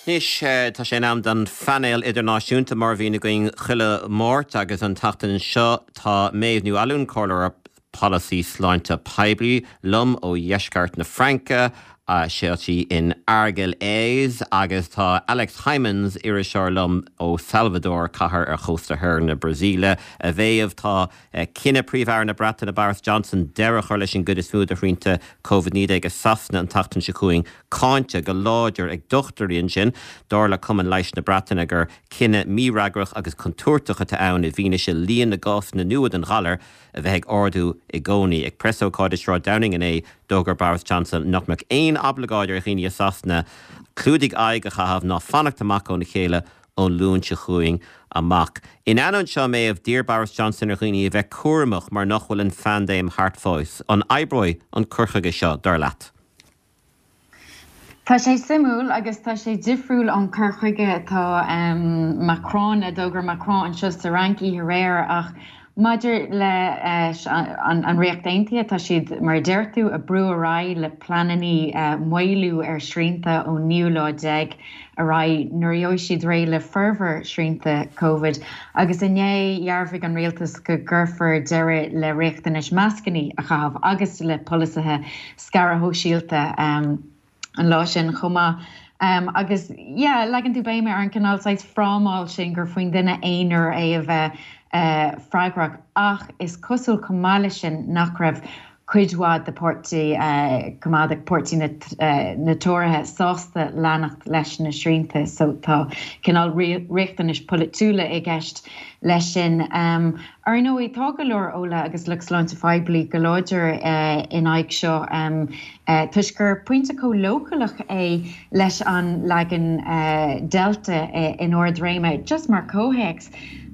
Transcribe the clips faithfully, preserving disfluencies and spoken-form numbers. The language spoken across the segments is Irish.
Anois tá sé in am don phainéal idirnáisiúnta mar a bhíonn againn chuile Mháirt agus an tseachtain seo tá Méabh Ní Fhallúin comhairleoir polasaí sláinte poiblí liom ó dheisceart na Fraince sé in Argelès agus tá Alex Hijmans iriseoir liom ó Salvador cathair ar chósta thoir na Brasaíle a Mhéabh tá cinneadh Príomh-Aire na Breataine Boris Johnson deireadh a chur leis an gcuid is mó de shrianta Covid naoi déag i Sasana an tseachtain seo chugainn cáinte go láidir ag dochtúirí ansin dar le Cumann Leighis na Breataine gur cinneadh mífhreagrach agus contúirteach atá ann i bhfianaise líon na gcásanna nua den ghalar a bheith ag ardú i gcónaí. Ag preasócáid i Sráid Downing inné d'fhógair Boris Johnson nach mbeadh aon oibleagáid ar dhaoine i Sasana clúdaigh aghaidh a chaitheamh ná fanacht amach óna chéile ón Luan seo chugainn amach. In ainneoin seo Méabh d'iarr Boris Johnson ar dhaoine a bheith cúramach mar nach bhfuil an phaindéim thart fós. An oibreoidh an cur chuige seo dar leat. Tá sé suimiúil agus tá sé difriúil an cur chuige atá um, Macron a d'fhógair Macron anseo sa Fhrainc aréir ach maidir le an, an Ríocht Aontaithe tá siad mar deir tú ag brú ar aghaidh le pleananna uh, maolú ar shrianta ón naoú lá déag ar aghaidh nuair a bheidh siad réidh le formhór srianta COVID agus inné dhearbhaigh an rialtas go gcuirfear deireadh le riachtanais mascanna a chaitheamh agus le polasaithe scaradh sóisialta um, an lá sin chomh maith. Um, agus yeah, leagann tú béim ar an cineál frámáil sin gur faoin duine aonair é a bheith uh, freagrach ach is cosúil chomh maith leis sin nach raibh cuid mhaith de pháirtí uh, coimeádach páirtí na, uh, na Tóraithe sásta leanacht leis na srianta, so tá cineál riachtanais polaitiúla i gceist leis sin. Um, ar ndóigh tá go leor eolaithe agus lucht sláinte phoiblí go láidir uh, in aghaidh seo um, uh, toisc gur pointe chomh leochaileach é leis an leagan uh, Delta uh, in ardréime, just mar chomhthéacs.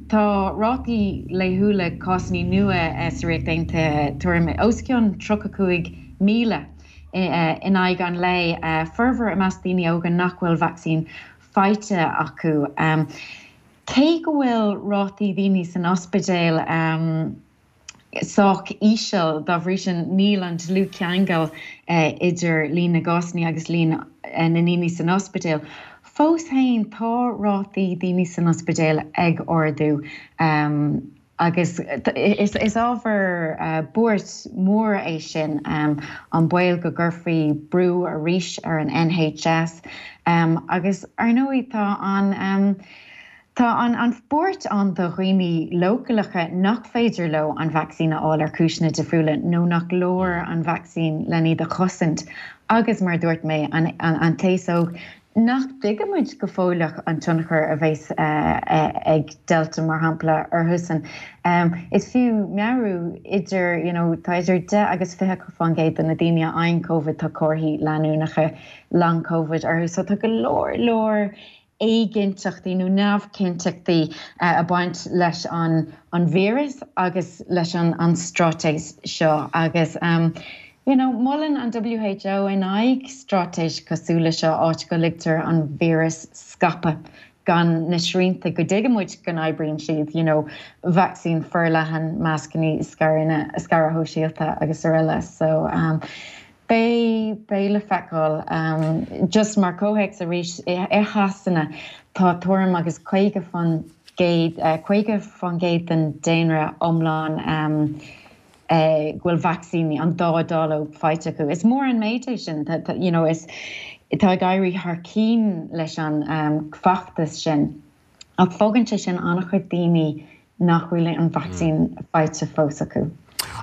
Tá rátaí laethúla cásanna nua sa Ríocht Aontaithe tuairim os cionn tríocha cúig míle in aghaidh an lae formhór i measc daoine óga nach bhfuil vacsaín faighte acu. Um, Cé go bhfuil rátaí daoine san ospidéal um, sách íseal dá bhrí sin níl an dlúthcheangal uh, idir líon na gcásanna agus líon uh, na ndaoine san ospidéal. Fós féin tá rátaí daoine san ospidéal ag ardú um, agus is, is ábhar uh, buairt mór é sin um, an baol go gcuirfí brú arís ar an NHS um, agus ar ndóigh tá an um, Tá an an bhuairt ann do dhaoine leochaileacha nach féidir leo an vacsaín a fháil ar chúiseanna difriúla nó nach leor an vacsaín le iad a chosaint agus mar dúirt mé an, an, an t-aos óg nach dtuigimid go fóilleach an tionchar a bheas uh, uh, ag Delta mar shampla orthusan. Um, is fiú meabhrú idir you know, tá idir deich agus fiche faoin gcéad de na daoine a fhaigheann COVID tá comharthaí leanúnacha long COVID orthu, so tá go leor leor éiginnteachtaí nó neamhchinnteachtaí uh, ag baint leis an, an víreas agus leis an, an straitéis seo agus um, You know, molann an WHO in aghaidh straitéis cosúil leis seo áit go ligtear an víreas scaipeadh gan na srianta go dtuigimid go n-oibríonn siad you know, vacsaín forleathan mascanna scaradh sóisialta agus araile so um, Beidh beidh le feiceáil um, just mar chomhthéacs arís i Sasana tá tuairim agus caoga faoin gcéad uh, caoga faoin gcéad den daonra iomlán um, uh, go bhfuil vacsaíní an dá dáileog faighte acu. Is mór an méid é sin you know, is tá ag éirí thar cinn leis an um, feachtas sin. Ach fágann sé sin an-chuid daoine nach bhfuil an vacsaín mm. faighte fós acu.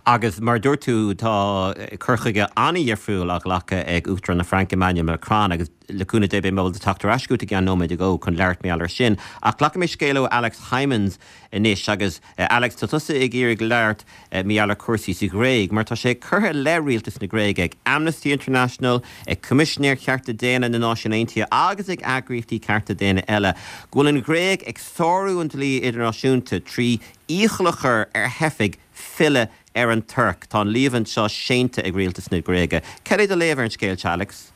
Agus mar dúirt tú tá cur chuige an-difriúil á ghlacadh ag Uachtarán na Fraince Emmanuel Macron agus le cúnamh Dé beidh mé teacht ar ais chugat i gceann nóiméid go chun labhairt mar gheall air sin. Ach glacfaidh mé scéal ó Alex Hijmans anois agus uh, Alex tá tusa ag iarraidh labhairt uh, mar gheall ar chúrsaí sa Ghréig, mar tá sé curtha le rialtas na Gréige ag Amnesty International, ag Coimisinéir Cearta Daonna na Náisiún Aontaithe agus ag eagraíochtaí cearta daonna eile. Go bhfuil an Ghréig ag sárú an dlí idirnáisiúnta trí iachall a chur ar theifigh filleadh ar an Tuirc Tá an líomhain seo séanta ag rialtas na Gréige. Cad é do léamh ar an scéal Alex?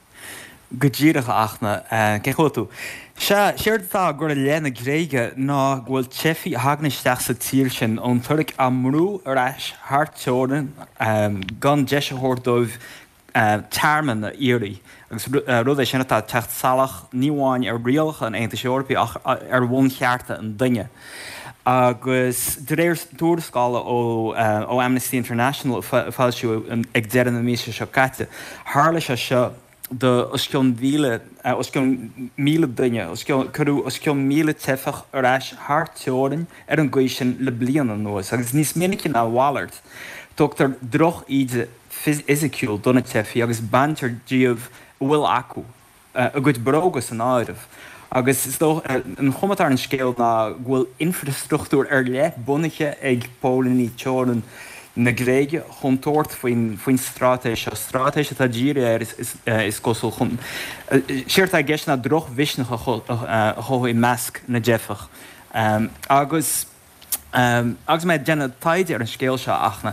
Go díreach achna cé tú. Se séard atá á chur i leith na Gréige ná go bhfuil teifigh a thagann isteach sa tír sin ón Tuirc á mbrú ar ais thar teorainn gan deis a thabhairt dóibh tearmann a iarraidh, agus rud é sin atá ag teacht salach ní amháin ar rialacha an Aontais Eorpaigh ach ar bhunchearta an duine. Agus de réir tuarascála ó Amnesty International a foilsíodh ag deireadh na míosa seo caite, tharla sé seo do os cionn mhíle, os cionn míle duine, os cionn, cuireadh os cionn míle teifeach ar ais thar teorainn ar an gcaoi sin le bliain anuas, agus níos minice ná a mhalairt, tugtar droch-íde fhisiciúil do na teifigh agus baintear díobh a bhfuil acu, a gcuid bróga san áireamh. Agus is dócha, an chuma atá ar an scéal ná go bhfuil infreastruchtúr ar leith bunaithe ag póilíní teorann na Gréige chun tabhairt faoin faoin straitéis seo, straitéis atá dírithe air is cosúil chun, séard atá i gceist ná drochmhisneach a chothú i measc na dteifeach. Agus agus mé ag déanamh taighde ar an scéal seo, a Fhachtna,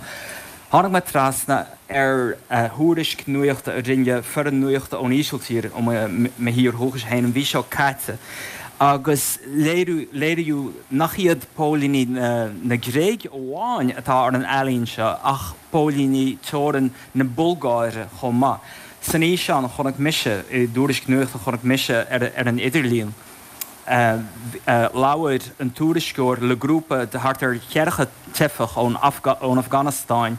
tháinig mé trasna ar thuairisc nuachta a rinne foireann nuachta ón Ísiltír, ó mo thír dhúchais féin, an mhí seo caite. Agus léiríodh nach iad póilíní na Gréige amháin atá ar an ealaín seo ach póilíní teorann na Bulgáire chomh maith. San fhíseán a chonaic mise, i dtuairisc nuachta a chonaic mise ar an idirlíon, labhair an tuairisceoir le grúpa de thart ar cheathracha teifeach ón Afganastáin.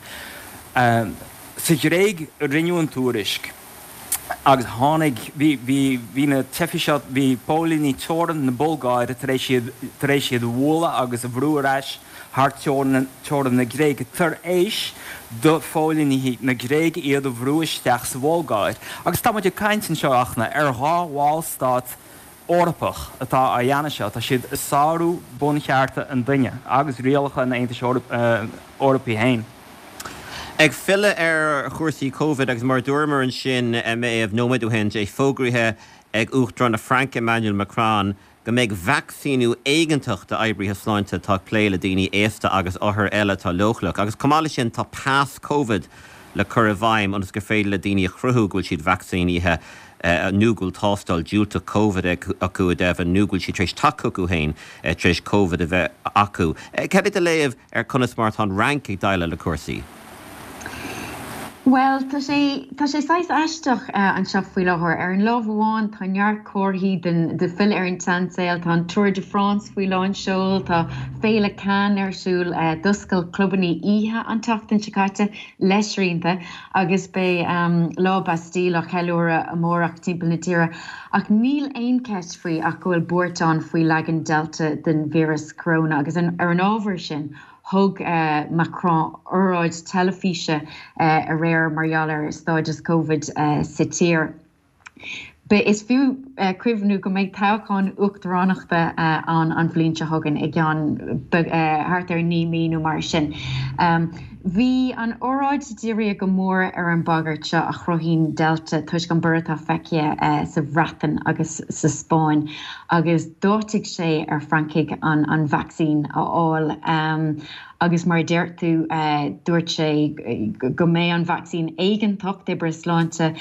Sa Ghréig a rinneadh an tuairisc. Agus tháinig, bhí, bhí, bhí na teifigh seo, bhí póilíní teorann na Bulgáire tar éis iad, tar éis iad a bhualadh agus a bhrú ar ais thar teorainn, teorainn na Gréige, tar éis do phóilíní na Gréige iad a bhrú isteach sa Bhulgáir. Agus tá muid ag caint anseo, a Fhachtna, ar dhá bhallstát Eorpach atá á dhéanamh seo, tá siad ag sárú bunchearta an duine agus rialacha an Aontais Eorpaigh féin. Ag filleadh ar chúrsaí Covid agus mar a dúramar ansin a Mhéabh nóiméad ó shin, é fógraithe ag Uachtarán na Fraince Emmanuel Macron go mbeidh vacsaíniú éigeantach d'oibrithe sláinte atá ag plé le daoine aosta agus othair eile atá leochaileach agus chomh maith leis sin tá pas Covid le cur i bhfeidhm ionas gur féidir le daoine a chruthú go bhfuil siad vacsaínithe nó go bhfuil tástáil diúltach Covid acu go deimhin nó go bhfuil siad tar éis teacht chucu féin tar éis Covid a bheith acu. Cad é do léamh ar conas mar atá an Fhrainc ag déileáil le cúrsaí? Bhuel, tá sé, tá sé saghas aisteach anseo faoi láthair. Ar an lámh amháin, tá neart comharthaí den, de filleadh ar an tseansaol, tá an Tour de France faoi lán seoil, tá Féile Cannes ar siúl, d'oscail clubanna oíche an tseachtain seo caite le srianta agus beidh Lá Bastille á cheiliúradh amárach timpeall na tíre. Ach níl aon cheist faoi ach go bhfuil buairt ann faoi leagan Delta den víreas coróna agus ar an ábhar sin, Thug Macron óráid teilifíse aréir mar gheall ar stádas Covid sa tír. Is fiú cuimhniú go mbeidh toghchán uachtaránachta ann an bhliain seo chugainn, i gceann thart ar naoi mí nó mar sin. Bhí an óráid dírithe go mór ar an bhagairt seo a chruthaíonn Delta toisc an borradh atá feicthe sa Bhreatain agus sa Spáinn. agus d'áitigh sé ar Francaigh an vacsaín a fháil agus mar a deir tú dúirt sé go mbeidh an vacsaín éigeantach d'oibrithe sláinte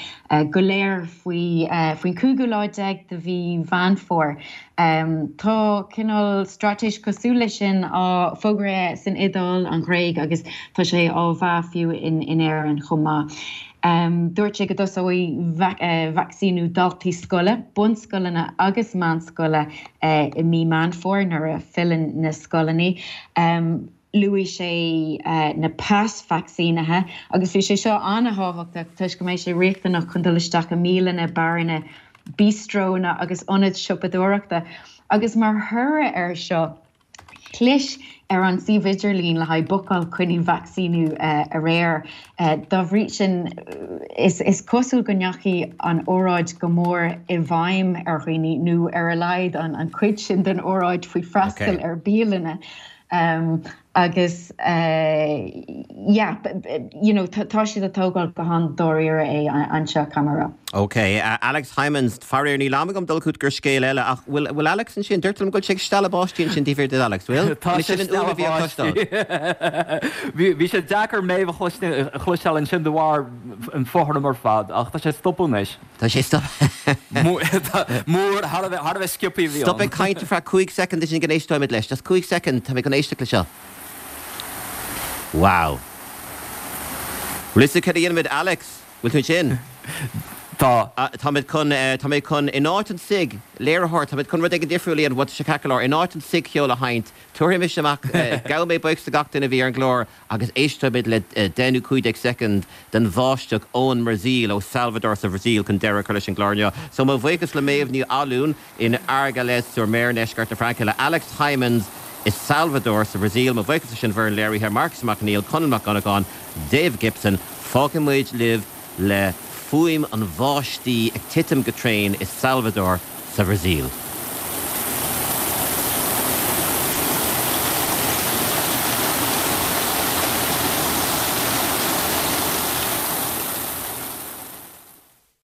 go léir faoi faoin cúigiú lá déag de mhí Mheán Fómhair. Tá cineál straitéis cosúil leis sin á fógraithe san Iodáil, an Ghréig agus tá sé á mheá fiú in Éirinn chomh maith. Dúirt sé go dtosóidh vacsaíniú daltaí scoile, bunscoileanna agus meánscoile i mí Meán Fómhair nuair a filleann na scoileanna. Luaigh sé na pas vacsaínithe agus bhí sé seo an-thábhachtach toisc go mbeidh sé riachtanach chun dul isteach i mbialanna, beáranna, bíostrónna agus ionaid siopadóireachta agus mar thoradh air seo, Chlis ar an suíomh idirlín le haghaidh bookáil coinní vacsaíniú aréir. Dá bhrí sin, is cosúil go ndeachaigh an óráid go mór i bhfeidhm ar dhaoine, nó ar a laghad an chuid sin den óráid faoi freastal ar bialanna. Agus yeah, you know, tá siad ag tógáil go han-dáiríre é anseo, caithfidh mé a rá. Ok, Alex Hijmans, faraor níl am agam dul chugat gur scéal eile ach bhfuil bhfuil Alex ansin? Deirtear liom go bhfuil sé ag stealladh báistí ansin taobh thiar de Alex, bhfuil? Tá sé sin ag an fhuaim a stealladh bhí á báistí. cloisteáil. Bhí bhí sé deacair Méabh a chloisteáil ansin de bharr an fothram ar fad ach tá sé ag stopadh anois. Tá sé stop. Mór, thar a bheith thar a bheith sciobtha a bhí Stop ann. ag caint ar feadh cúig soicind ansin go n-éisteoimid leis. Just cúig soicind, tá mé chun éisteacht le seo. Wow. Bhfuil fhios agat cad a dhéanfaimid Alex? Bhfuil tú ansin? Tá. Táimid chun, tá mé chun, in áit an cig, léiritheoir, táimid chun rud éigin difriúil a dhéanamh, bhuel tá sé ceart go leor, in áit an cig-cheol a sheinnt, tabharfaidh mise amach, gabhfaidh mé buíochas do gach duine a bhí ar an gclár agus éistfimid le deich nó cúig déag soicind den bháisteach ón mBrasaíl, ó Salvador sa Bhrasaíl chun deireadh a chur leis an gclár inniu. So mo bhuíochas le Méabh Ní Fhallúin in Argelès-sur-Mer i ndeisceart na Fraince, le Alex Hijmans i Salvador sa Bhrasaíl, mo bhuíochas leis an bhfoireann léirithe, Marcus Mac Neill, Conall Mac Dhonnagáin, Dave Gibson. Fágfaidh muid libh le fuaim an bháistí ag titim go tréan i Salvador sa Bhrasaíl.